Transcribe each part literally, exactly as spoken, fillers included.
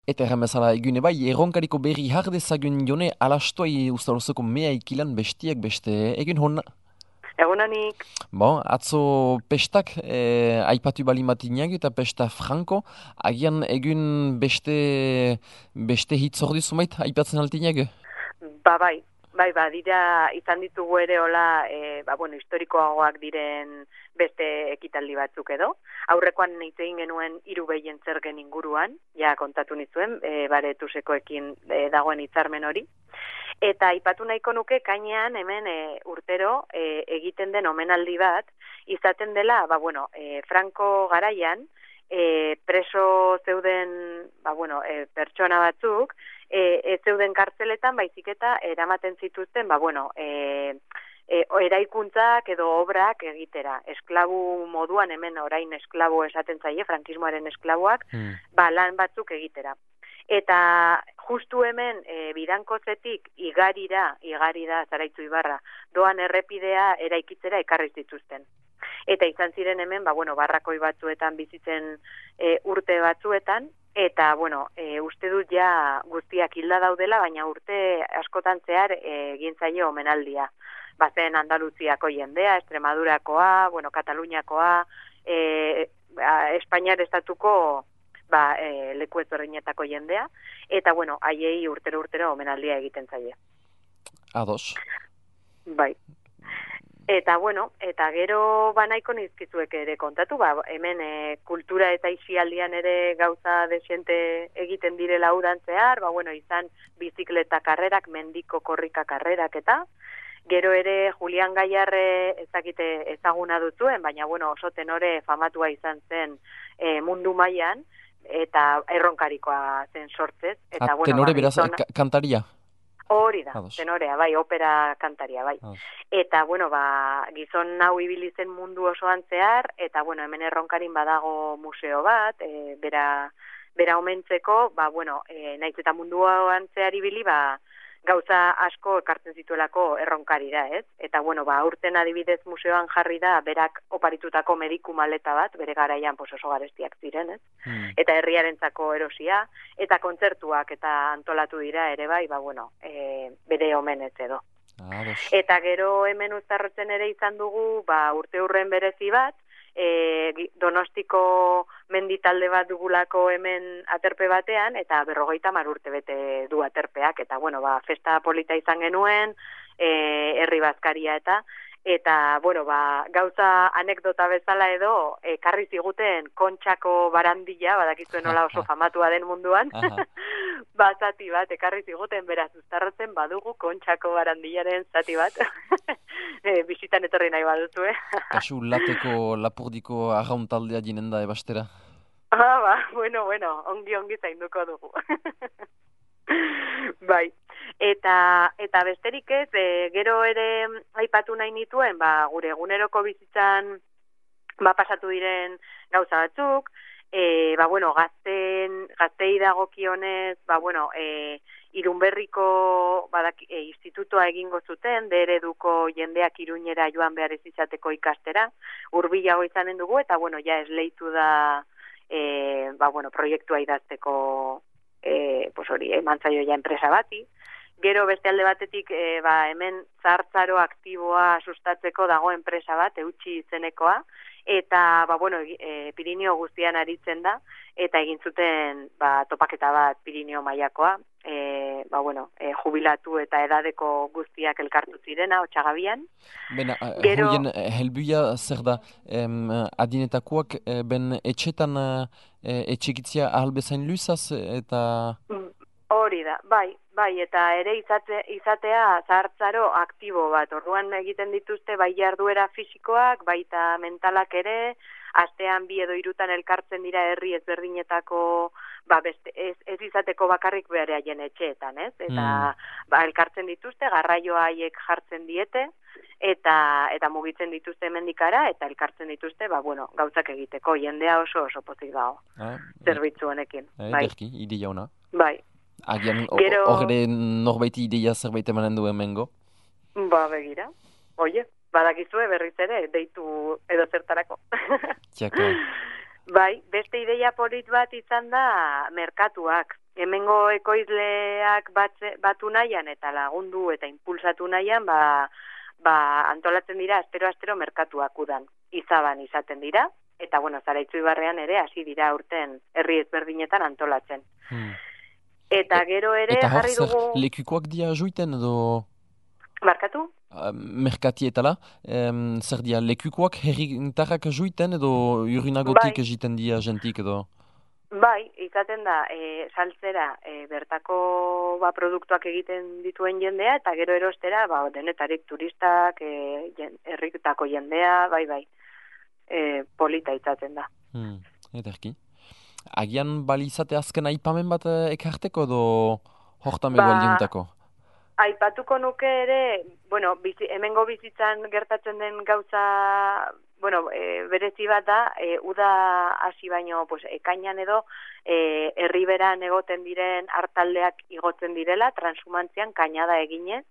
Eta erran bezala egune bai, erronkariko berri hardezagun jone alastoi ustarozoko mea ikilan bestiak beste egun honna. Egunonik. Bon, atzo pestak eh, aipatu bali matinak eta pesta franko, agian egun beste beste hitz ordi zumait aipatzen altinak? Ba bai, bai, ba, dira izan ditugu ere hola, e, ba, bueno, historikoagoak diren beste ekitaldi batzuk edo. Aurrekoan hitz egin genuen hiru behien zergen inguruan, ja kontatu nizuen, e, bare tusekoekin e, dagoen hitzarmen hori. Eta aipatu nahiko nuke kainean hemen e, urtero e, egiten den omenaldi bat, izaten dela, ba, bueno, e, Franco garaian, e, preso zeuden, ba, bueno, e, pertsona batzuk, e, ez zeuden kartzeletan, baizik eta eramaten zituzten, ba, bueno, e, e, eraikuntzak edo obrak egitera. Esklabu moduan, hemen orain esklabo esaten zaie, frankismoaren esklaboak, hmm. ba, lan batzuk egitera. Eta justu hemen e, bidankozetik igarira, igari da Zaraitzu Ibarra, doan errepidea eraikitzera ekarri zituzten. Eta izan ziren hemen, ba, bueno, barrakoi batzuetan bizitzen e, urte batzuetan, eta, bueno, e, uste dut ja guztiak hilda daudela, baina urte askotan zehar egin zaio omenaldia. Bazen Andaluziako jendea, Extremadurakoa, bueno, Kataluniakoa, e, Espainiar estatuko ba, e, leku ezberdinetako jendea, eta, bueno, haiei urtero-urtero omenaldia egiten zaie. Ados. Bai. Eta, bueno, eta gero banaiko nizkizuek ere kontatu, ba, hemen e, kultura eta isialdian ere gauza desiente egiten direla udan zehar, ba, bueno, izan bizikleta karrerak, mendiko korrika karrerak eta, gero ere Julian Gaiarre ezakite ezaguna duzuen, baina, bueno, oso tenore famatua izan zen e, mundu mailan, eta erronkarikoa zen sortzez. Eta, A, bueno, tenore ba, beraz gizona... kantaria? Hori da, Ados. tenorea, bai, opera kantaria, bai. Ados. Eta, bueno, ba, gizon hau ibili zen mundu osoan zehar, eta, bueno, hemen erronkarin badago museo bat, e, bera, bera omentzeko, ba, bueno, e, naiz eta munduan zehar ibili, ba, gauza asko ekartzen zituelako erronkarira, ez? Eta, bueno, ba, aurten adibidez museoan jarri da, berak oparitutako mediku maleta bat, bere garaian pues, oso garestiak ziren, ez? Hmm. Eta herriarentzako erosia, eta kontzertuak eta antolatu dira ere bai, ba, bueno, e, bere omenez edo. Ah, eta gero hemen uztarrotzen ere izan dugu, ba, urte hurren berezi bat, E, Donostiko menditalde bat dugulako hemen aterpe batean, eta berrogeita hamar urte bete du aterpeak, eta bueno, ba, festa polita izan genuen, e, herri bazkaria eta, eta, bueno, ba, gauza anekdota bezala edo, ekarri ziguten Kontxako barandilla, badakizuen nola oso famatua den munduan, ba, zati bat, ekarri ziguten, beraz, uztarrotzen badugu Kontxako barandillaren zati bat, e, bizitan etorri nahi baduzu, eh? Kasu lateko lapurdiko arrauntaldea jinen da ebastera. Ah, ba, bueno, bueno, ongi ongi zainduko dugu. Bai, eta eta besterik ez, e, gero ere aipatu nahi nituen, ba, gure eguneroko bizitzan ba, pasatu diren gauza batzuk, e, ba, bueno, gazten, gaztei dagokionez, ba, bueno, e, Irunberriko badak, e, institutoa egingo zuten, de ereduko jendeak Iruñera joan behar ez izateko ikastera, hurbilago izanen dugu, eta, bueno, ja esleitu da, e, ba, bueno, proiektua idazteko, e, pues hori, eman zaio ja enpresa bati. Gero beste alde batetik, e, ba, hemen zahartzaro aktiboa sustatzeko dago enpresa bat, eutxi izenekoa, eta, ba, bueno, e, Pirinio guztian aritzen da, eta egin zuten, ba, topaketa bat Pirinio mailakoa, e, ba, bueno, e, jubilatu eta edadeko guztiak elkartu zirena, Otsagabian. Bena, Gero... hoien helbuia zer da, em, adinetakoak e, ben etxetan e, etxekitzia ahalbezain luzaz, eta... Hori da, bai, bai, eta ere izate, izatea zahartzaro aktibo bat. Orduan egiten dituzte bai jarduera fisikoak, baita mentalak ere, astean bi edo hirutan elkartzen dira herri ezberdinetako, ba, beste, ez, ez izateko bakarrik behar haien etxeetan, ez? Eta mm. ba, elkartzen dituzte, garraioa haiek jartzen diete, eta eta mugitzen dituzte hemendikara, eta elkartzen dituzte, ba, bueno, gauzak egiteko, jendea oso oso pozik dago, ah, zerbitzu honekin. Eh, bai. Derki, ideia ona. Bai. Agian, Gero... horre norbaiti ideia zerbait emanen du hemengo? Ba, begira. Oie, badakizue berriz ere, deitu edo zertarako. Txaka. Bai, beste ideia polit bat izan da merkatuak. Hemengo ekoizleak batze, batu nahian eta lagundu eta impulsatu nahian, ba, ba antolatzen dira astero-astero merkatuak udan. Izaban izaten dira, eta bueno, Zaraitzu Ibarrean ere hasi dira urten herri ezberdinetan antolatzen. Hmm. Eta gero ere eta jarri dugu... Eta hor lekukoak dia juiten edo... Markatu? Uh, merkatietala, um, zer dia lekukoak herritarrak juiten edo urinagotik bai. Egiten dia jentik edo... Bai, izaten da, e, saltzera e, bertako ba, produktuak egiten dituen jendea, eta gero erostera, ba, denetarik turistak, e, jen, herritako jendea, bai, bai, e, polita izaten da. Hmm, ederki. Agian balizate azken aipamen bat ekarteko edo hortan edo ba, aldiuntako? Aipatuko nuke ere, bueno, bizi, hemengo bizitzan gertatzen den gauza, bueno, e, berezi bat da, e, uda hasi baino, pues, ekainan edo, e, herriberan egoten diren hartaldeak igotzen direla, transumantzian kainada eginez,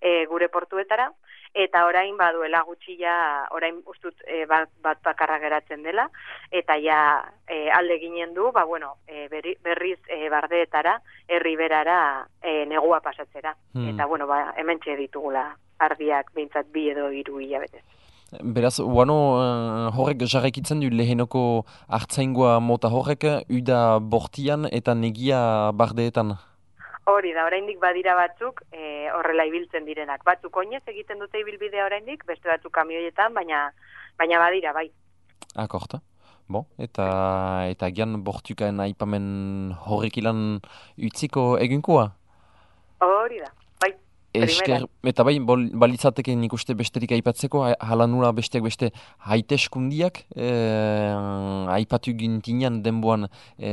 e, gure portuetara, eta orain baduela gutxi ja, orain ustut e, bat, bat bakarra geratzen dela, eta ja e, alde ginen du, ba bueno, e, berri, berriz e, bardeetara, herriberara e, negua pasatzera. Hmm. Eta bueno, ba, hementxe ditugula ardiak behintzat bi edo hiru hilabetez. Beraz, bueno, uh, horrek jarraikitzen du lehenoko hartzaingoa mota horrek, uda bortian eta negia bardeetan. Hori da, oraindik badira batzuk e, horrela ibiltzen direnak. Batzuk oinez egiten dute ibilbidea oraindik, beste batzuk kamioietan, baina baina badira, bai. Akorta. Bo, eta eta gian bortukaen aipamen horrek ilan utziko egunkoa? Hori da, bai. Esker, eta bai, bol, balitzateke nik uste besterik aipatzeko, hala nula besteak beste haiteskundiak, e, aipatu gintinean denboan e,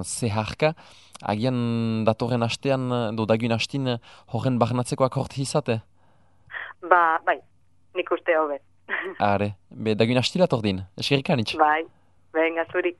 zeharka, agian datorren astean, do dagun astin, horren barnatzeko akort izate? Ba, bai, nik uste hobe. Are, be dagun astilat ordin, eskerrik anitz. Bai, venga, zuri.